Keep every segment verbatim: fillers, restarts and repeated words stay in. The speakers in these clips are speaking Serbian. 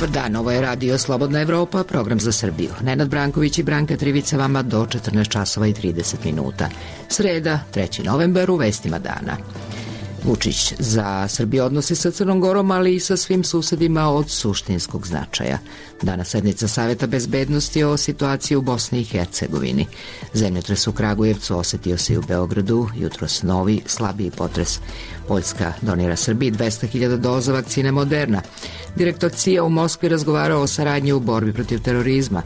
Dobar dan, ovo je Radio Slobodna Evropa, program za Srbiju. Nenad Branković i Branka Trivica vama do četrnaest časova i trideset minuta. Sreda, treći novembar, u vestima dana. Vučić za Srbiju odnosi sa Crnom Gorom, ali i sa svim susedima od suštinskog značaja. Danas sednica Saveta bezbednosti o situaciji u Bosni i Hercegovini. Zemljotres u Kragujevcu osetio se i u Beogradu, jutros novi, slabiji potres. Poljska donira Srbiji dvesta hiljada doza vakcine Moderna. Direktor C I A u Moskvi razgovarao o saradnji u borbi protiv terorizma.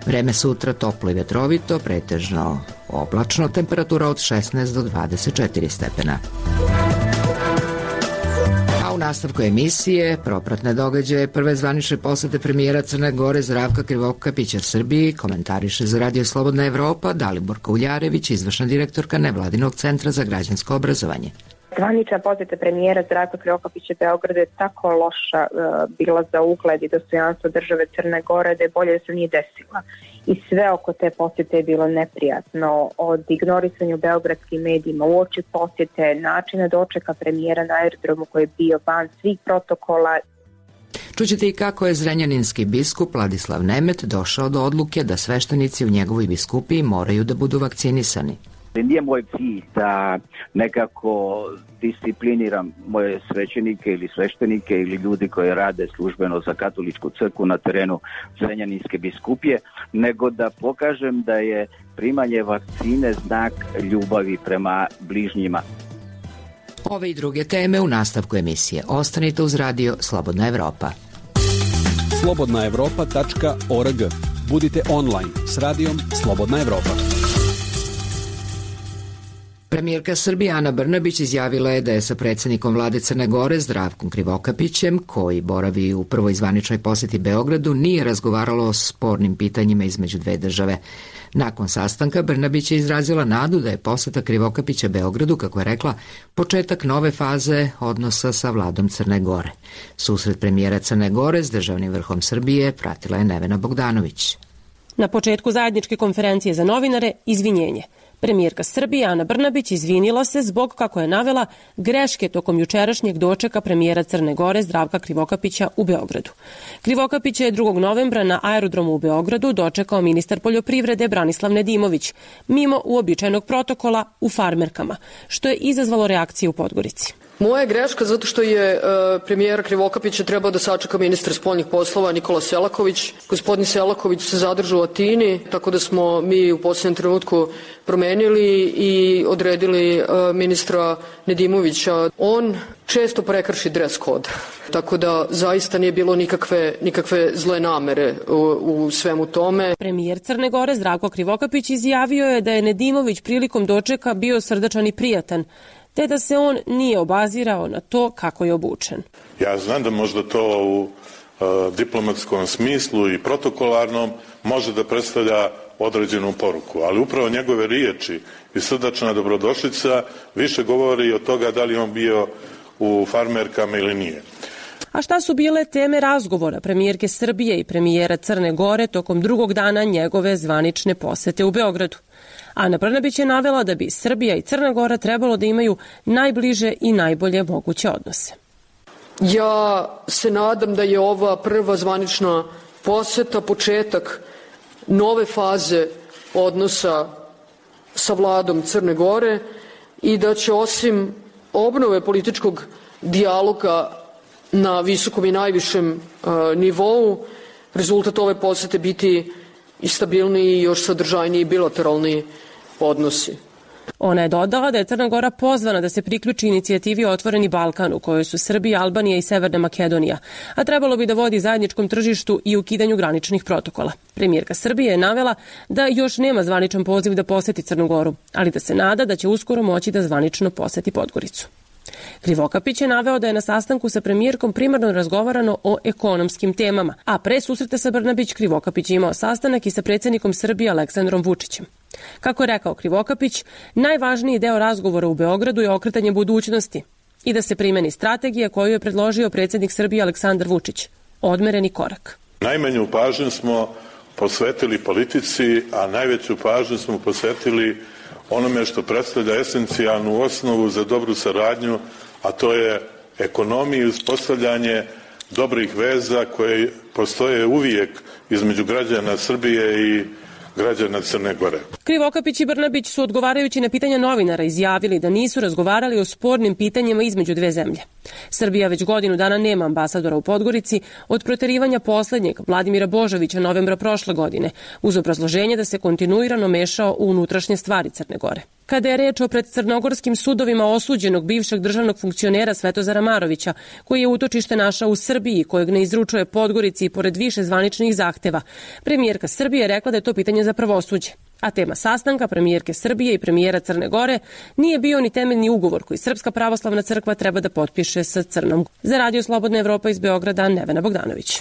Vreme sutra toplo i vetrovito, pretežno oblačno, temperatura od šesnaest do dvadeset četiri stepena. U nastavku emisije propratne događaje prve zvanične posete premijera Crne Gore Zdravka Krivokapića Srbiji komentariše za Radio Slobodna Evropa Daliborka Uljarević, izvršna direktorka Nevladinog centra za građansko obrazovanje. Zvanična poseta premijera Zdravka Krivokapića Beogradu je tako loša uh, bila za ugled i dostojanstvo države Crne Gore da je bolje da se nije desila. I sve oko te posjete je bilo neprijatno, od ignorisanja u beogradskim medijima, uoči posjete, načina dočeka premijera na aerodromu koji je bio van svih protokola. Čućete i kako je zrenjaninski biskup Vladislav Nemet došao do odluke da sveštenici u njegovoj biskupiji moraju da budu vakcinisani. Nije moj cilj da nekako discipliniram moje svećenike ili sveštenike ili ljudi koji rade službeno za katoličku crkvu na terenu Zrenjaninske biskupije, nego da pokažem da je primanje vakcine znak ljubavi prema bližnjima. Ove i druge teme u nastavku emisije. Ostanite uz Radio Slobodna Evropa. slobodna evropa tačka org. Budite online s Radijom Slobodna Evropa. Premijerka Srbije Ana Brnabić izjavila je da je sa predsjednikom vlade Crne Gore Zdravkom Krivokapićem, koji boravi u prvoj zvaničnoj posjeti Beogradu, nije razgovaralo o spornim pitanjima između dve države. Nakon sastanka Brnabić je izrazila nadu da je posjeta Krivokapića Beogradu, kako je rekla, početak nove faze odnosa sa vladom Crne Gore. Susret premijera Crne Gore s državnim vrhom Srbije pratila je Nevena Bogdanović. Na početku zajedničke konferencije za novinare izvinjenje. Premijerka Srbije Ana Brnabić izvinila se zbog, kako je navela, greške tokom jučerašnjeg dočeka premijera Crne Gore Zdravka Krivokapića u Beogradu. Krivokapića je drugog novembra na aerodromu u Beogradu dočekao ministar poljoprivrede Branislav Nedimović, mimo uobičajenog protokola u farmerkama, što je izazvalo reakcije u Podgorici. Moja je greška zato što je e, premijera Krivokapića trebao da sačeka ministar spoljnih poslova Nikola Selaković. Gospodin Selaković se zadržao u Atini, tako da smo mi u posljednjem trenutku promenili i odredili e, ministra Nedimovića. On često prekrši dres kod, tako da zaista nije bilo nikakve, nikakve zle namere u, u svemu tome. Premijer Crne Gore Zdravko Krivokapić izjavio je da je Nedimović prilikom dočeka bio srdačan i prijatan, te da se on nije obazirao na to kako je obučen. Ja znam da možda to u uh, diplomatskom smislu i protokolarnom može da predstavlja određenu poruku, ali upravo njegove riječi i srdačna dobrodošlica više govori od toga da li on bio u farmerkama ili nije. A šta su bile teme razgovora premijerke Srbije i premijera Crne Gore tokom drugog dana njegove zvanične posete u Beogradu? Ana Brnabić je navela da bi Srbija i Crna Gora trebalo da imaju najbliže i najbolje moguće odnose. Ja se nadam da je ova prva zvanična poseta početak nove faze odnosa sa vladom Crne Gore i da će osim obnove političkog dijaloga na visokom i najvišem uh, nivou rezultat ove posete biti i stabilniji i još sadržajniji bilateralni odnosi. Ona je dodala da je Crna Gora pozvana da se priključi inicijativi Otvoreni Balkan, u kojoj su Srbija, Albanija i Severna Makedonija, a trebalo bi da vodi zajedničkom tržištu i ukidanju graničnih protokola. Premijerka Srbije je navela da još nema zvaničan poziv da poseti Crnu Goru, ali da se nada da će uskoro moći da zvanično poseti Podgoricu. Krivokapić je naveo da je na sastanku sa premijerkom primarno razgovarano o ekonomskim temama, a pre susreta sa Brnabić Krivokapić je imao sastanak i sa predsjednikom Srbije Aleksandrom Vučićem. Kako je rekao Krivokapić, najvažniji deo razgovora u Beogradu je okretanje budućnosti i da se primeni strategija koju je predložio predsjednik Srbije Aleksandar Vučić, odmereni korak. Najmanju pažnju smo posvetili politici, a najveću pažnju smo posvetili onome što predstavlja esencijalnu osnovu za dobru saradnju, a to je ekonomija i uspostavljanje dobrih veza koje postoje uvijek između građana Srbije i građana Crne Gore. Krivokapić i Brnabić su odgovarajući na pitanja novinara izjavili da nisu razgovarali o spornim pitanjima između dve zemlje. Srbija već godinu dana nema ambasadora u Podgorici od proterivanja poslednjeg Vladimira Božovića novembra prošle godine, uz obrazloženje da se kontinuirano mešao u unutrašnje stvari Crne Gore. Kada je reč o pred crnogorskim sudovima osuđenog bivšeg državnog funkcionera Svetozara Marovića, koji je utočište našao u Srbiji, kojeg ne izručuje Podgorici i pored više zvaničnih zahteva, premijerka Srbije je rekla da je to pitanje za pravosuđe. A tema sastanka premijerke Srbije i premijera Crne Gore nije bio ni temeljni ugovor koji Srpska pravoslavna crkva treba da potpiše sa Crnom. Za Radio Slobodna Evropa iz Beograda, Nevena Bogdanović.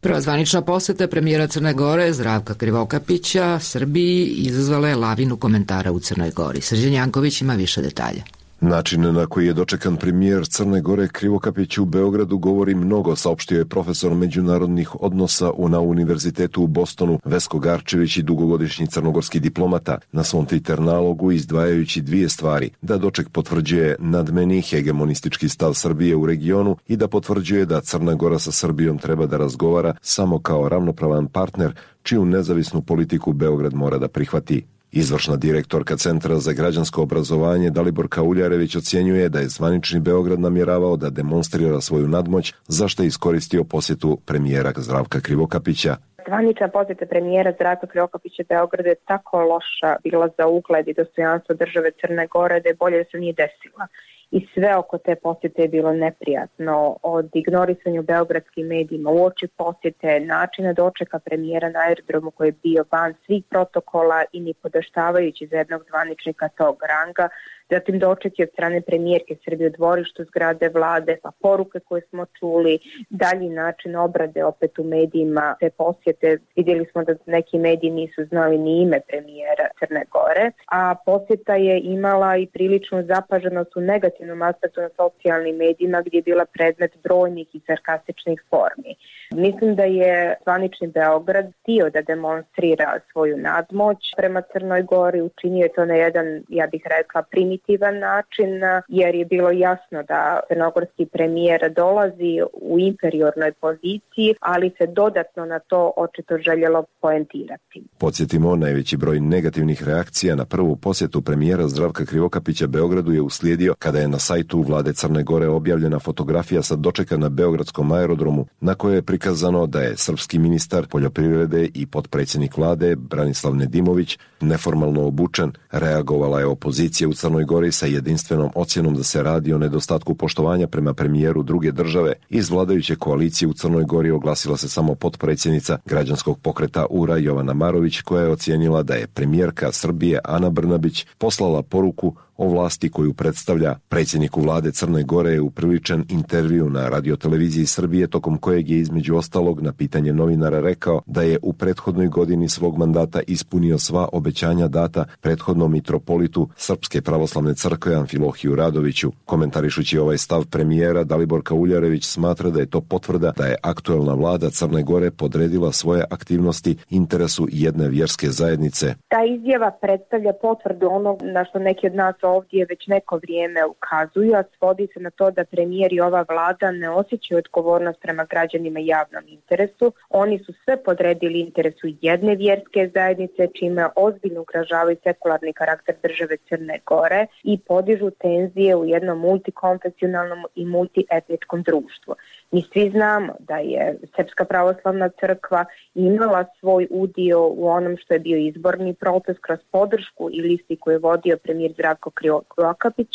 Prva zvanična poseta premijera Crne Gore Zdravka Krivokapića Srbiji izazvala je lavinu komentara u Crnoj Gori. Srđan Janković ima više detalja. Način na koji je dočekan premijer Crne Gore Krivokapić u Beogradu govori mnogo, saopštio je profesor međunarodnih odnosa na Univerzitetu u Bostonu Vesko Garčević i dugogodišnji crnogorski diplomata na svom Twitter nalogu, izdvajajući dvije stvari: da doček potvrđuje nadmeni hegemonistički stav Srbije u regionu i da potvrđuje da Crna Gora sa Srbijom treba da razgovara samo kao ravnopravan partner čiju nezavisnu politiku Beograd mora da prihvati. Izvršna direktorka Centra za građansko obrazovanje Daliborka Uljarević ocjenjuje da je zvanični Beograd namjeravao da demonstrira svoju nadmoć, za što je iskoristio posjetu premijera Zdravka Krivokapića. Zvanična posjeta premijera Zdravka Krivokapića Beogradu je tako loša bila za ugled i dostojanstvo države Crne Gore da je bolje da se nije desila. I sve oko te posjete je bilo neprijatno, od ignorisanja u beogradskim medijima, uoči posjete, načina dočeka premijera na aerodromu koji je bio van svih protokola i ni podaštavajući za jednog zvaničnika tog ranga, zatim doček je od strane premijerke Srbije u dvorištu zgrade vlade, pa poruke koje smo čuli, dalji način obrade opet u medijima te posjete. Vidjeli smo da neki mediji nisu znali ni ime premijera Crne Gore, a posjeta je imala i priličnu zapaženost u negativnom aspektu na socijalnim medijima gdje je bila predmet brojnih i sarkastičnih formi. Mislim da je zvanični Beograd htio da demonstrira svoju nadmoć prema Crnoj Gori, učinio je to na jedan, ja bih rekla, primitivan način, jer je bilo jasno da crnogorski premijer dolazi u inferiornoj poziciji, ali se dodatno na to očito željelo poentirati. Podsjetimo, najveći broj negativnih reakcija na prvu posjetu premijera Zdravka Krivokapića Beogradu je uslijedio kada je na sajtu vlade Crne Gore objavljena fotografija sa dočeka na beogradskom aerodromu, na kojoj je prikazano da je srpski ministar poljoprivrede i potpredsjednik vlade Branislav Nedimović neformalno obučen. Reagovala je opozicija u Crnoj Gori sa jedinstvenom ocjenom da se radi o nedostatku poštovanja prema premijeru druge države. Iz vladajuće koalicije u Crnoj Gori oglasila se samo potpredsjednica građanskog pokreta U R A Jovana Marović, koja je ocijenila da je premijerka Srbije Ana Brnabić poslala poruku o vlasti koju predstavlja. Predsjedniku vlade Crne Gore je upriličen intervju na radioteleviziji Srbije, tokom kojeg je između ostalog na pitanje novinara rekao da je u prethodnoj godini svog mandata ispunio sva obećanja data prethodnom mitropolitu Srpske pravoslavne crkve Amfilohiju Radoviću. Komentarišući ovaj stav premijera, Daliborka Uljarević smatra da je to potvrda da je aktuelna vlada Crne Gore podredila svoje aktivnosti interesu jedne vjerske zajednice. Ta izjava predstavlja potvrdu onog na što neki od nas ovdje već neko vrijeme ukazuju, a svodi se na to da premijer i ova vlada ne osjećaju odgovornost prema građanima i javnom interesu. Oni su sve podredili interesu jedne vjerske zajednice, čime ozbiljno ugrožavaju sekularni karakter države Crne Gore i podižu tenzije u jednom multikonfesionalnom i multietničkom društvu. Mi svi znamo da je Srpska pravoslavna crkva imala svoj udio u onom što je bio izborni proces kroz podršku i listi koju je vodio premijer Zdravko Krivokapić,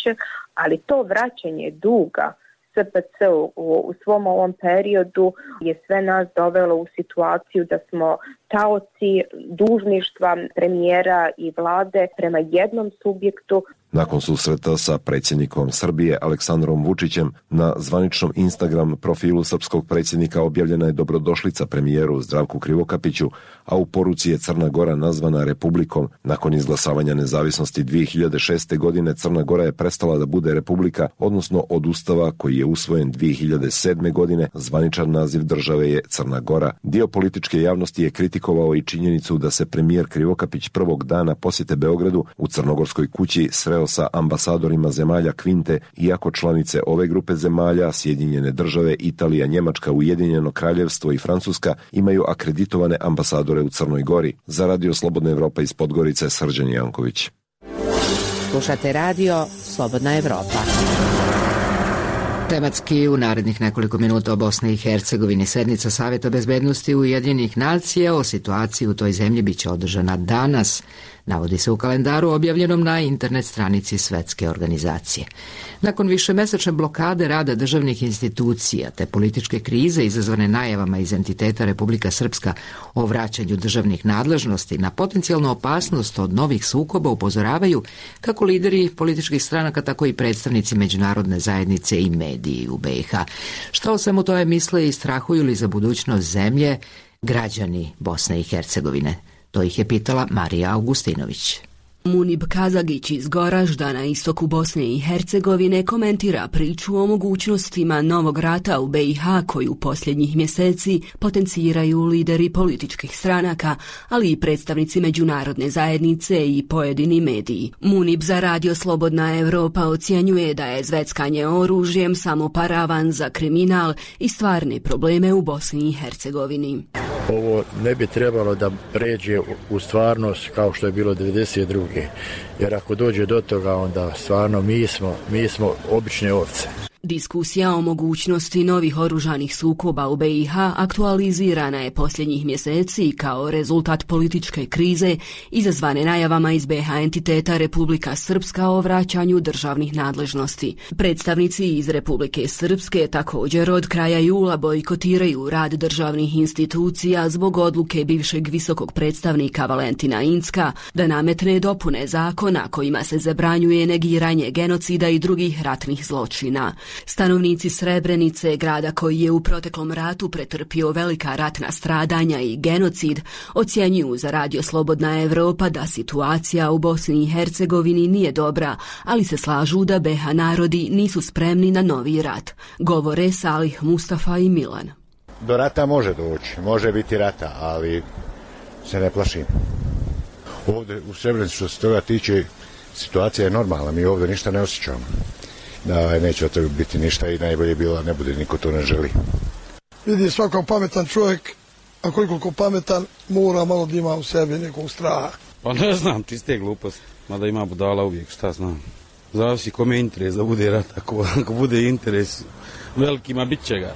ali to vraćanje duga S P C u, u svom ovom periodu je sve nas dovelo u situaciju da smo taoci dužništva premijera i vlade prema jednom subjektu. Nakon susreta sa predsjednikom Srbije Aleksandrom Vučićem, na zvaničnom Instagram profilu srpskog predsjednika objavljena je dobrodošlica premijeru Zdravku Krivokapiću, a u poruci je Crna Gora nazvana republikom. Nakon izglasavanja nezavisnosti dvije hiljade šeste. godine Crna Gora je prestala da bude republika, odnosno od ustava koji je usvojen dvije hiljade sedme. godine zvaničan naziv države je Crna Gora. Dio političke javnosti je kritikovao i činjenicu da se premijer Krivokapić prvog dana posjete Beogradu u Crnogorskoj kući sreo sastajao sa ambasadorima zemalja Kvinte, iako članice ove grupe zemalja, Sjedinjene države, Italija, Njemačka, Ujedinjeno kraljevstvo i Francuska, imaju akreditovane ambasadore u Crnoj Gori. Za Radio Slobodna Evropa iz Podgorice, Srđan Janković. Slušate radio Slobodna Evropa. Tematski u narednih nekoliko minuta o Bosni i Hercegovini. Sednica Saveta bezbednosti Ujedinjenih nacija o situaciji u toj zemlji biće održana danas, navodi se u kalendaru objavljenom na internet stranici Svetske organizacije. Nakon višemesečne blokade rada državnih institucija te političke krize izazvane najavama iz entiteta Republika Srpska o vraćanju državnih nadležnosti, na potencijalnu opasnost od novih sukoba upozoravaju kako lideri političkih stranaka, tako i predstavnici međunarodne zajednice i mediji u B i H. Šta o svemu tome misle i strahuju li za budućnost zemlje građani Bosne i Hercegovine? To ih je pitala Marija Augustinović. Munib Kazagić iz Goražda na istoku Bosne i Hercegovine komentira priču o mogućnostima novog rata u B i H koju posljednjih mjeseci potenciraju lideri političkih stranaka, ali i predstavnici međunarodne zajednice i pojedini mediji. Munib za Radio Slobodna Evropa ocjenjuje da je zveckanje oružjem samo paravan za kriminal i stvarne probleme u Bosni i Hercegovini. Ovo ne bi trebalo da pređe u stvarnost kao što je bilo devedeset druge. Jer ako dođe do toga, onda stvarno mi smo, mi smo obične ovce. Diskusija o mogućnosti novih oružanih sukoba u B i H aktualizirana je posljednjih mjeseci kao rezultat političke krize izazvane najavama iz B H entiteta Republika Srpska o vraćanju državnih nadležnosti. Predstavnici iz Republike Srpske također od kraja jula bojkotiraju rad državnih institucija zbog odluke bivšeg visokog predstavnika Valentina Incka da nametne dopune zakona kojima se zabranjuje negiranje genocida i drugih ratnih zločina. Stanovnici Srebrenice, grada koji je u proteklom ratu pretrpio velika ratna stradanja i genocid, ocjenjuju za Radio Slobodna Evropa da situacija u Bosni i Hercegovini nije dobra, ali se slažu da B H narodi nisu spremni na novi rat. Govore Salih, Mustafa i Milan. Do rata može doći, može biti rata, ali se ne plašim. Ovdje u Srebrenici što se toga tiče, situacija je normalna, mi ovdje ništa ne osjećamo. Da, neće od toga biti ništa i najbolje bilo ne bude, niko to ne želi. Vidi svako pametan čovjek, a koliko pametan, mora malo da ima u sebi nekog straha. Pa ne znam, čiste gluposti, mada ima budala uvijek, šta znam. Zavisi kome je interes da bude rat, ako, ako bude interes velikima, bit će ga.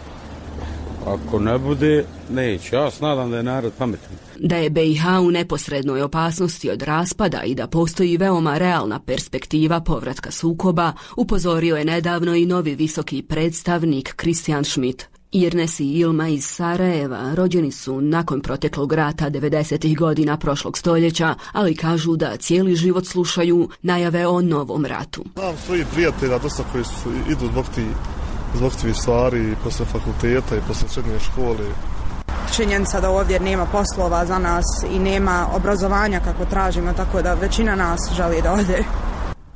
Ako ne bude, neće. Ja se nadam da je narod pametan. Da je B i H u neposrednoj opasnosti od raspada i da postoji veoma realna perspektiva povratka sukoba, upozorio je nedavno i novi visoki predstavnik Kristijan Schmidt. Irnes i Ilma iz Sarajeva rođeni su nakon proteklog rata devedesetih godina prošlog stoljeća, ali kažu da cijeli život slušaju najave o novom ratu. Znam svoji prijatelja, dosta koji su, idu zbog ti zbog tih stvari i posle fakulteta i posle srednje škole. Činjenica da ovdje nema poslova za nas i nema obrazovanja kako tražimo, tako da većina nas želi da ode.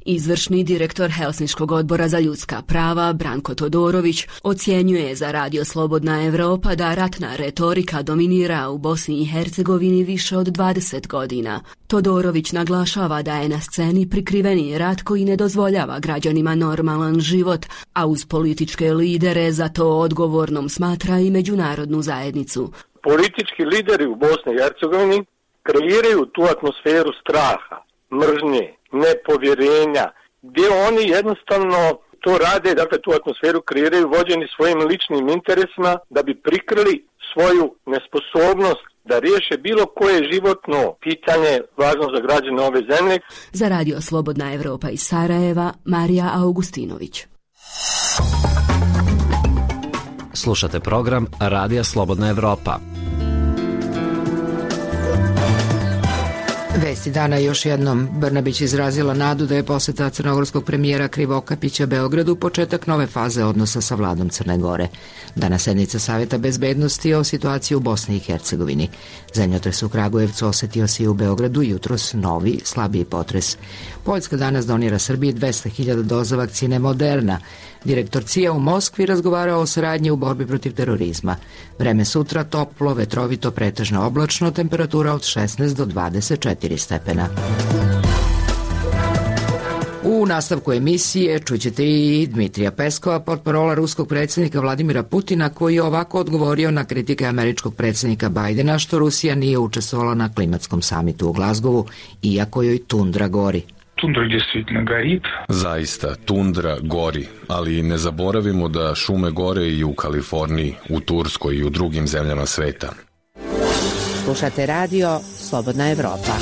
Izvršni direktor Helsinškog odbora za ljudska prava Branko Todorović ocjenjuje za Radio Slobodna Evropa da ratna retorika dominira u Bosni i Hercegovini više od dvadeset godina. Todorović naglašava da je na sceni prikriveni rat koji ne dozvoljava građanima normalan život, a uz političke lidere za to odgovornom smatra i međunarodnu zajednicu. Politički lideri u Bosni i Hercegovini kreiraju tu atmosferu straha, mržnje, nepovjerenja, gdje oni jednostavno to rade, dakle tu atmosferu kreiraju vođeni svojim ličnim interesima da bi prikrili svoju nesposobnost da riješe bilo koje životno pitanje važno za građane ove zemlje. Za Radio Slobodna Evropa iz Sarajeva, Marija Augustinović. Slušate program Radija Slobodna Evropa. Vesti dana još jednom. Brnabić izrazila nadu da je posjeta crnogorskog premijera Krivokapića Beogradu početak nove faze odnosa sa vladom Crne Gore. Danas sednica Saveta bezbednosti o situaciji u Bosni i Hercegovini. Zemljotres u Kragujevcu osjetio se i u Beogradu jutros novi, slabiji potres. Poljska danas donira Srbiji dvesta hiljada doza vakcine Moderna. Direktor C I A u Moskvi razgovarao o saradnji u borbi protiv terorizma. Vreme sutra toplo, vetrovito, pretežno oblačno, temperatura od šesnaest do dvadeset četiri stepena. U nastavku emisije čućete i Dmitrija Peskova, portparola ruskog predsjednika Vladimira Putina, koji je ovako odgovorio na kritike američkog predsjednika Bajdena što Rusija nije učestvovala na klimatskom samitu u Glazgovu, iako joj tundra gori. Тундра действительно горит. Zaista, tundra gori, ali ne zaboravimo da šume gore i u Kaliforniji, u Turskoj i u drugim zemljama sveta. Slušate radio Slobodna Evropa.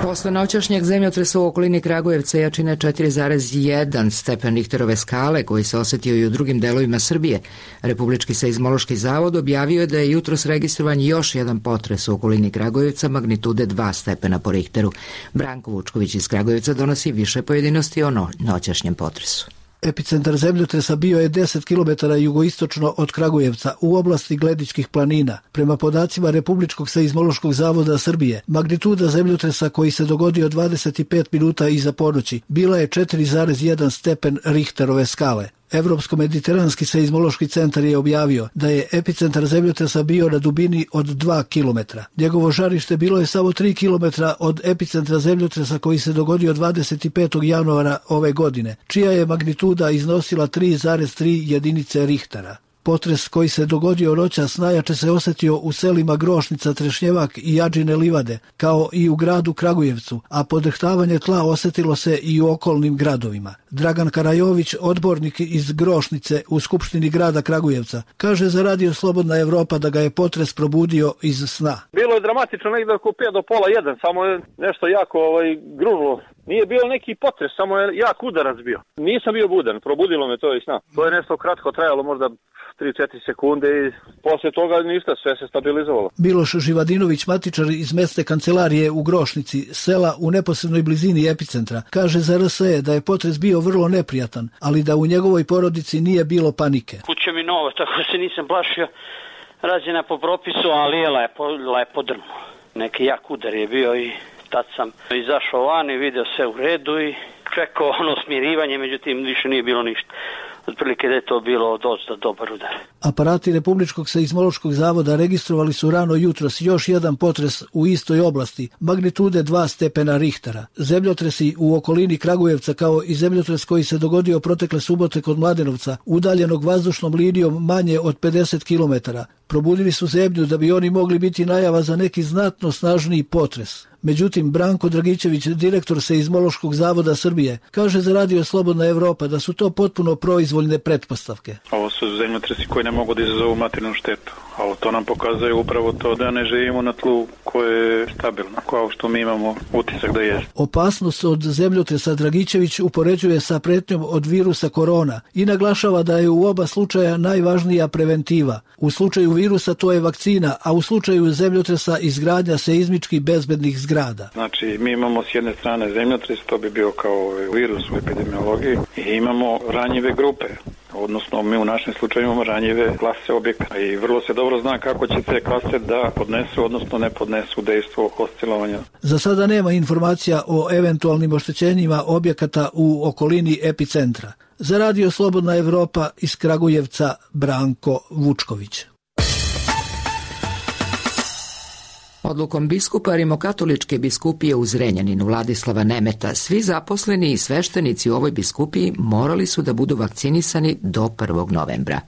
Posle noćašnjeg zemljotresa u okolini Kragujevca jačine četiri zarez jedan stepen Richterove skale, koji se osetio i u drugim delovima Srbije, Republički seizmološki zavod objavio je da je jutros registrovan još jedan potres u okolini Kragujevca magnitude dva stepena po Richteru. Branko Vučković iz Kragujevca donosi više pojedinosti o no- noćašnjem potresu. Epicentar zemljotresa bio je deset kilometara jugoistočno od Kragujevca u oblasti Gledičkih planina. Prema podacima Republičkog seizmološkog zavoda Srbije, magnituda zemljotresa koji se dogodio dvadeset pet minuta iza ponoći bila je četiri zarez jedan stepen Richterove skale. Evropsko-mediteranski seizmološki centar je objavio da je epicentar zemljotresa bio na dubini od dva kilometra. Njegovo žarište bilo je samo tri kilometra od epicentra zemljotresa koji se dogodio dvadeset petog januara ove godine, čija je magnituda iznosila tri zarez tri jedinice Richtera. Potres koji se dogodio noćas najjače se osjetio u selima Grošnica, Trešnjevak i Jadžine livade, kao i u gradu Kragujevcu, a podrhtavanje tla osjetilo se i u okolnim gradovima. Dragan Karajović, odbornik iz Grošnice u Skupštini grada Kragujevca, kaže za radio Slobodna Evropa da ga je potres probudio iz sna. Bilo je dramatično negdje oko pet do pola jedan, samo je nešto jako ovaj, grunulo. Nije bio neki potres, samo je jak udarac bio. Nisam bio budan, probudilo me to iz sna. To je nešto kratko trajalo, možda tri četiri sekunde i poslije toga ništa, sve se stabilizovalo. Miloš Živadinović, matičar iz mesne kancelarije u Grošnici, sela u neposrednoj blizini epicentra, kaže za R S E da je potres bio vrlo neprijatan, ali da u njegovoj porodici nije bilo panike. Kuća mi nova, tako se nisam plašio, rađena po propisu, ali je lepo, lepo drno. Neki jak udar je bio i tad sam izašao van i video sve u redu i čekao ono smirivanje, međutim više nije bilo ništa. Otprilike da je to bilo dosta dobar udar. Aparati Republičkog seizmološkog zavoda registrovali su rano jutros još jedan potres u istoj oblasti, magnitude dva stepena Richtera. Zemljotresi u okolini Kragujevca, kao i zemljotres koji se dogodio protekle subote kod Mladenovca, udaljenog vazdušnom linijom manje od pedeset kilometara, probudili su zemlju da bi oni mogli biti najava za neki znatno snažniji potres. Međutim, Branko Dragičević, direktor Seizmološkog zavoda Srbije, kaže za radio Slobodna Evropa da su to potpuno proizvoljne pretpostavke. Ovo su zemljotresi koji ne mogu da izazovu materijalnu štetu, a to nam pokazuje upravo to da ne živimo na tlu koje je stabilno, kao što mi imamo utisak da je. Opasnost od zemljotresa Dragičević upoređuje sa pretnjom od virusa korona i naglašava da je u oba slučaja najvažnija preventiva. U slučaju virusa to je vakcina, a u slučaju zemljotresa izgradnja seizmički bezbednih zgrada. Znači, mi imamo s jedne strane zemljotres, to bi bio kao virus u epidemiologiji, i imamo ranjive grupe. Odnosno, mi u našem slučaju imamo ranjive klase objekta i vrlo se dobro zna kako će te klase da podnesu, odnosno ne podnesu dejstvo oscilovanja. Za sada nema informacija o eventualnim oštećenjima objekata u okolini epicentra. Za radio Slobodna Evropa iz Kragujevca, Branko Vučković. Odlukom biskupa Rimokatoličke biskupije u Zrenjaninu Vladislava Nemeta, svi zaposleni i sveštenici u ovoj biskupiji morali su da budu vakcinisani do prvog novembra.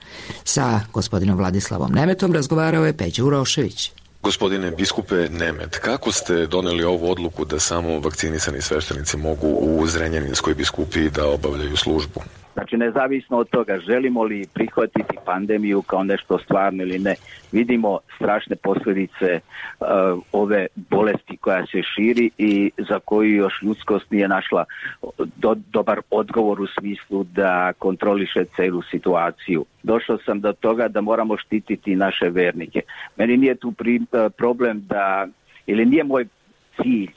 Sa gospodinom Vladislavom Nemetom razgovarao je Peđa Urošević. Gospodine biskupe Nemet, kako ste doneli ovu odluku da samo vakcinisani sveštenici mogu u Zrenjaninskoj biskupiji da obavljaju službu? Znači, nezavisno od toga, želimo li prihvatiti pandemiju kao nešto stvarno ili ne, vidimo strašne posljedice uh, ove bolesti koja se širi i za koju još ljudskost nije našla do, dobar odgovor u smislu da kontroliše celu situaciju. Došao sam do toga da moramo štititi naše vernike. Meni nije tu pri, uh, problem da, ili nije moj cilj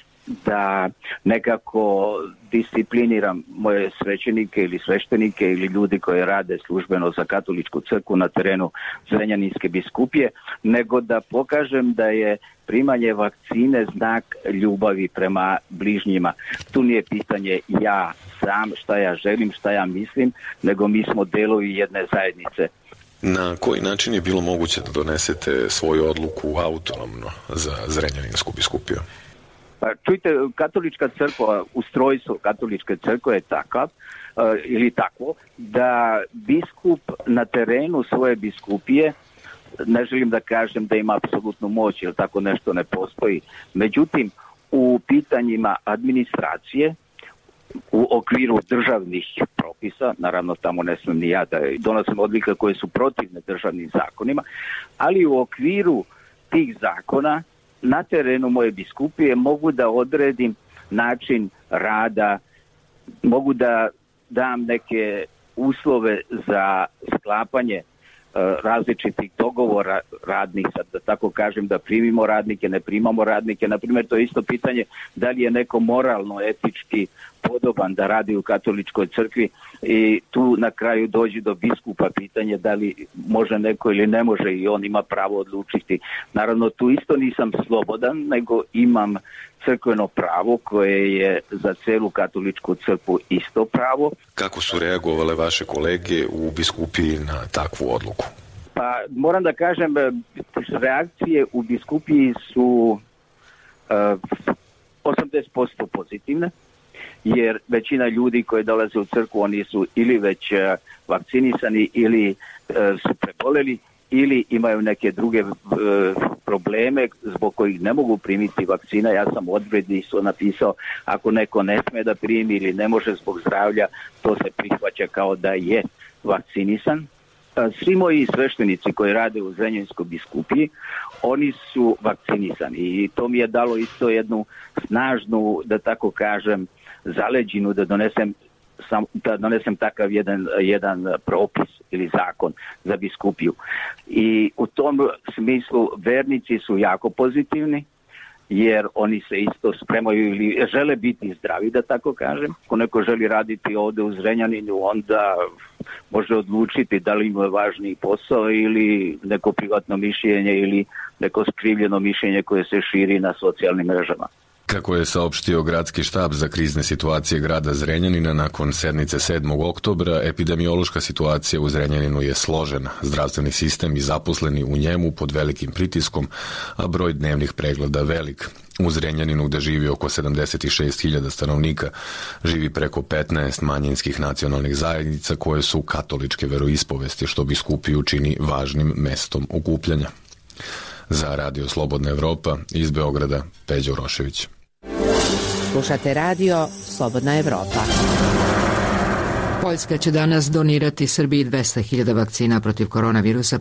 da nekako discipliniram moje svećenike ili sveštenike ili ljudi koji rade službeno za katoličku crkvu na terenu Zrenjaninske biskupije, nego da pokažem da je primanje vakcine znak ljubavi prema bližnjima. Tu nije pitanje ja sam, šta ja želim, šta ja mislim, nego mi smo delovi jedne zajednice. Na koji način je bilo moguće da donesete svoju odluku autonomno za Zrenjaninsku biskupiju? Pa čujte, katolička crkva, ustrojstvo katoličke crkve je takav, uh, ili takvo, da biskup na terenu svoje biskupije, ne želim da kažem da ima apsolutnu moć, jer tako nešto ne postoji. Međutim, u pitanjima administracije, u okviru državnih propisa, naravno tamo ne smem ni ja da donosim odluke koje su protivne državnim zakonima, ali u okviru tih zakona na terenu moje biskupije mogu da odredim način rada, mogu da dam neke uslove za sklapanje različitih dogovora radnih, sad da tako kažem, da primimo radnike, ne primamo radnike. Naprimjer, to je isto pitanje da li je neko moralno, etički podoban da radi u katoličkoj crkvi i tu na kraju dođe do biskupa pitanje da li može neko ili ne može i on ima pravo odlučiti. Naravno, tu isto nisam slobodan, nego imam crkveno pravo koje je za celu katoličku crkvu isto pravo. Kako su reagovale vaše kolege u biskupiji na takvu odluku? Pa moram da kažem, reakcije u biskupiji su uh, osamdeset posto pozitivne, jer većina ljudi koji dolaze u crkvu, oni su ili već uh, vakcinisani ili uh, su preboleli ili imaju neke druge uh, probleme zbog kojih ne mogu primiti vakcina. Ja sam odredni su napisao, ako neko ne sme da primi ili ne može zbog zdravlja, to se prihvaća kao da je vakcinisan. Svi moji sveštenici koji rade u Zrenjaninskoj biskupiji, oni su vakcinisani i to mi je dalo isto jednu snažnu, da tako kažem, zaleđinu da donesem sam, da donesem takav jedan, jedan propis ili zakon za biskupiju. I u tom smislu vernici su jako pozitivni, jer oni se isto spremaju ili žele biti zdravi, da tako kažem. Ako neko želi raditi ovde u Zrenjaninu, onda može odlučiti da li mu je važniji posao ili neko privatno mišljenje ili neko skrivljeno mišljenje koje se širi na socijalnim mrežama. Kako je saopštio gradski štab za krizne situacije grada Zrenjanina nakon sednice sedmog oktobra, epidemiološka situacija u Zrenjaninu je složena. Zdravstveni sistem i zaposleni u njemu pod velikim pritiskom, a broj dnevnih pregleda velik. U Zrenjaninu, gde živi oko sedamdeset šest hiljada stanovnika, živi preko petnaest manjinskih nacionalnih zajednica koje su katoličke veroispovesti, što biskupiju čini važnim mestom okupljanja. Za Radio Slobodna Evropa iz Beograda, Peđa Urošević. Slušate Radio Slobodna Evropa. Poljska će danas donirati Srbiji dvesta hiljada vakcina protiv koronavirusa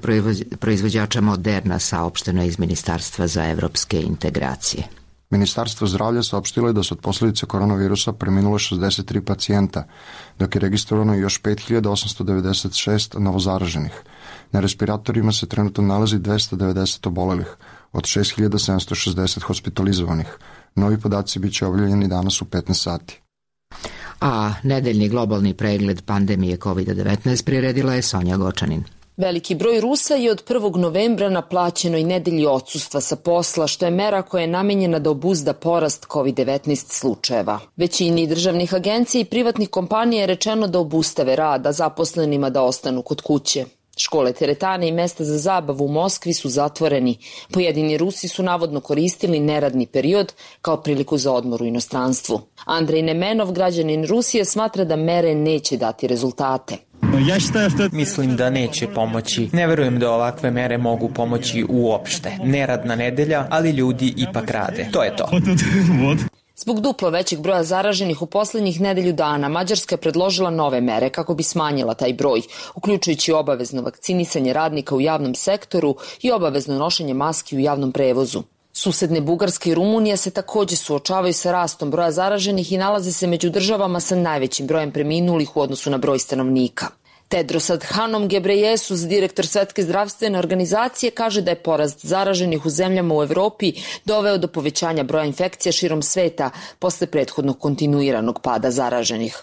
proizvođača Moderna, saopšteno iz Ministarstva za evropske integracije. Ministarstvo zdravlja saopštilo je da su od posljedice koronavirusa preminule šezdeset tri pacijenta, dok je registrovano još pet hiljada osamsto devedeset šest novozaraženih. Na respiratorima se trenutno nalazi dvesta devedeset obolelih, od šest hiljada sedamsto šezdeset hospitalizovanih. Novi podaci bit će objavljeni danas u petnaest sati. A nedeljni globalni pregled pandemije kovid devetnaest priredila je Sonja Gočanin. Veliki broj Rusa je od prvog novembra na plaćenoj nedelji odsustva sa posla, što je mera koja je namenjena da obuzda porast kovid devetnaest slučajeva. Većini državnih agencija i privatnih kompanija je rečeno da obustave rad, a zaposlenima da ostanu kod kuće. Škole, teretane i mesta za zabavu u Moskvi su zatvoreni. Pojedini Rusi su navodno koristili neradni period kao priliku za odmor u inostranstvu. Andrej Nemenov, građanin Rusije, smatra da mere neće dati rezultate. Mislim da neće pomoći. Ne verujem da ovakve mere mogu pomoći uopšte. Neradna nedelja, ali ljudi ipak rade. To je to. Zbog duplo većeg broja zaraženih u poslednjih nedelju dana, Mađarska je predložila nove mere kako bi smanjila taj broj, uključujući obavezno vakcinisanje radnika u javnom sektoru i obavezno nošenje maski u javnom prevozu. Susedne Bugarska i Rumunija se takođe suočavaju sa rastom broja zaraženih i nalaze se među državama sa najvećim brojem preminulih u odnosu na broj stanovnika. Tedros Adhanom Ghebreyesus, direktor Svetske zdravstvene organizacije, kaže da je porast zaraženih u zemljama u Evropi doveo do povećanja broja infekcija širom sveta posle prethodnog kontinuiranog pada zaraženih.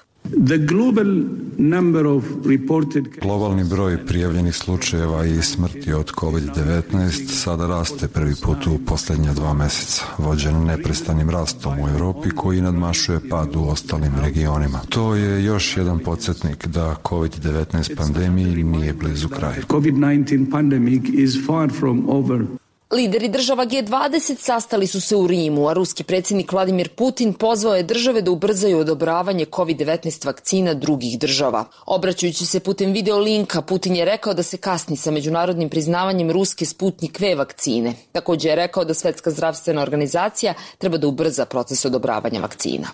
Globalni broj prijavljenih slučajeva i smrti od kovid devetnaest sada raste prvi put u posljednja dva meseca, vođen neprestanim rastom u Evropi koji nadmašuje pad u ostalim regionima. To je još jedan podsjetnik da kovid devetnaest pandemiji nije blizu kraja. Lideri država G dvadeset sastali su se u Rimu, a ruski predsjednik Vladimir Putin pozvao je države da ubrzaju odobravanje kovid devetnaest vakcina drugih država. Obraćajući se putem video linka, Putin je rekao da se kasni sa međunarodnim priznavanjem ruske Sputnik V vakcine. Također je rekao da Svetska zdravstvena organizacija treba da ubrza proces odobravanja vakcina.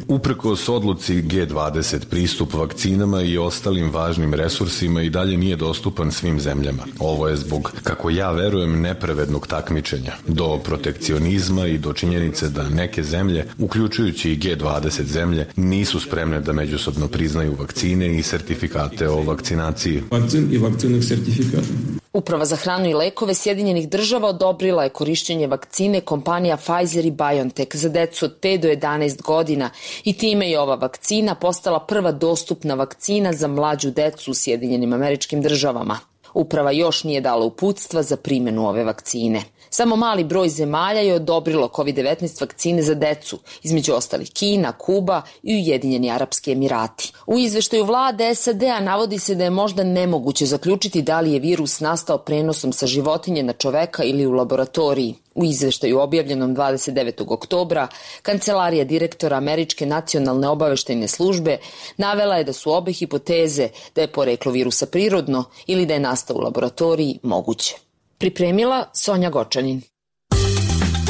Uprkos odluci G dvadeset, pristup vakcinama i ostalim važnim resursima i dalje nije dostupan svim zemljama. Ovo je zbog, kako ja verujem, nepravednog takmičenja, do protekcionizma i do činjenice da neke zemlje, uključujući i G dvadeset zemlje, nisu spremne da međusobno priznaju vakcine i sertifikate o vakcinaciji. Vakcin i vakcinih sertifikata. Uprava za hranu i lekove Sjedinjenih država odobrila je korišćenje vakcine kompanija Pfizer i BioNTech za decu od pet do jedanaest godina i time je ova vakcina postala prva dostupna vakcina za mlađu decu u Sjedinjenim Američkim Državama. Uprava još nije dala uputstva za primjenu ove vakcine. Samo mali broj zemalja je odobrilo kovid devetnaest vakcine za decu, između ostalih Kina, Kuba i Ujedinjeni Arapski Emirati. U izveštaju vlade S A D-a navodi se da je možda nemoguće zaključiti da li je virus nastao prenosom sa životinje na čoveka ili u laboratoriji. U izveštaju objavljenom dvadeset devetog oktobra, kancelarija direktora Američke nacionalne obaveštajne službe navela je da su obe hipoteze da je poreklo virusa prirodno ili da je nastao u laboratoriji moguće. Pripremila Sonja Gočanin.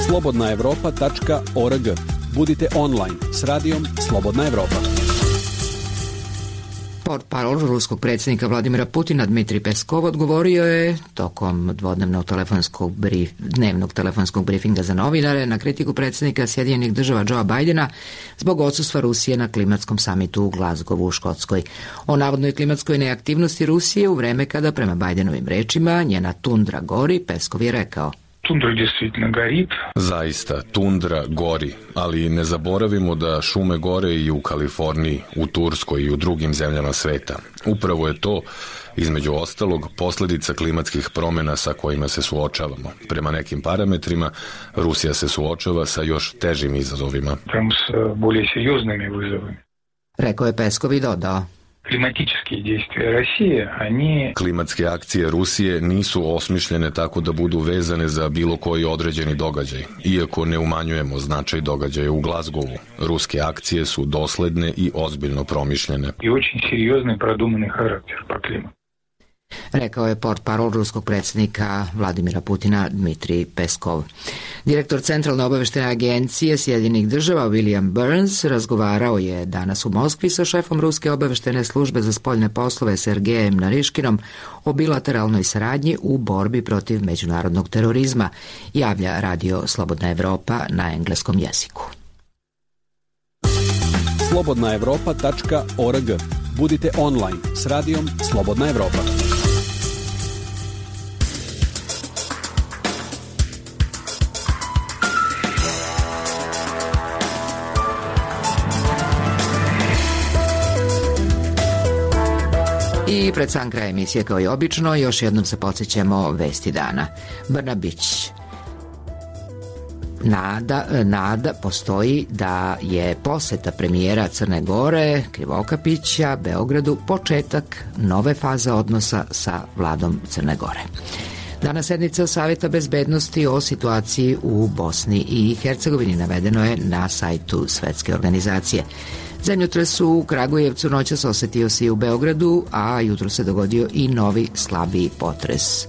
slobodna evropa tačka org. Budite online s radijom Slobodna Evropa. Portparol ruskog predsjednika Vladimira Putina Dmitrij Peskov odgovorio je tokom dvodnevnog telefonskog brif, dnevnog telefonskog brifinga za novinare na kritiku predsjednika Sjedinjenih država Joea Bidena zbog odsustva Rusije na klimatskom samitu u Glasgowu u Škotskoj. O navodnoj klimatskoj neaktivnosti Rusije u vreme kada, prema Bidenovim rečima, njena tundra gori, Peskov je rekao: Тундра действительно горит. Zaista, tundra gori, ali ne zaboravimo da šume gore i u Kaliforniji, u Turskoj i u drugim zemljama sveta. Upravo je to, između ostalog, posljedica klimatskih promjena sa kojima se suočavamo. Prema nekim parametrima, Rusija se suočava sa još težim izazovima. Прям с более серьезными вызовами. Rekao je Peskov i dodao: Климатические действия России, они... Klimatske akcije Rusije nisu osmišljene tako da budu vezane za bilo koji određeni događaj, iako ne umanjujemo značaj događaja u Glasgowu. Ruske akcije su dosledne i ozbiljno promišljene. I очень серьезный продуманный характер по климату. Rekao je portparol ruskog predsjednika Vladimira Putina Dmitrij Peskov. Direktor Centralne obavještajne agencije Sjedinjenih država William Burns razgovarao je danas u Moskvi sa šefom ruske obavještajne službe za spoljne poslove Sergejem Nariškinom o bilateralnoj saradnji u borbi protiv međunarodnog terorizma, javlja Radio Slobodna Evropa na engleskom jeziku. slobodna evropa tačka org. Budite online s radijom Slobodna Evropa. I pred sam kraj emisije, kao i obično, još jednom se podsjećamo vesti dana. Brnabić. Nada, nada postoji da je poseta premijera Crne Gore Krivokapića Beogradu početak nove faze odnosa sa vladom Crne Gore. Danas sednica Savjeta bezbednosti o situaciji u Bosni i Hercegovini navedeno je na sajtu Svetske organizacije. Zemljotres u Kragujevcu noćas osetio se i u Beogradu, a jutro se dogodio i novi slabiji potres.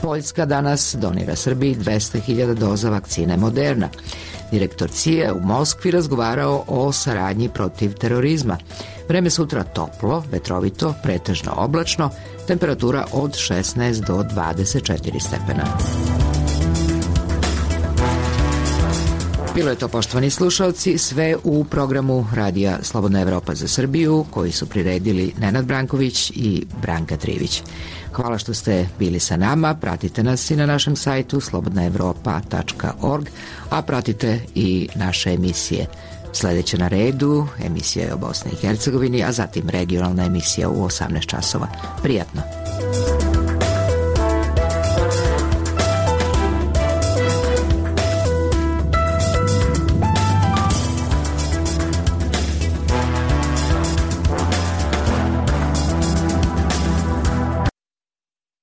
Poljska danas donira Srbiji dvesta hiljada doza vakcine Moderna. Direktor C I A u Moskvi razgovarao o saradnji protiv terorizma. Vreme sutra toplo, vetrovito, pretežno oblačno, temperatura od šesnaest do dvadeset četiri stepena. Bilo je to, poštovani slušalci, sve u programu Radija Slobodna Evropa za Srbiju, koji su priredili Nenad Branković i Branka Trivić. Hvala što ste bili sa nama, pratite nas i na našem sajtu slobodna evropa tačka org, a pratite i naše emisije. Sljedeća na redu emisija je o Bosni i Hercegovini, a zatim regionalna emisija u osamnaest časova. Prijatno!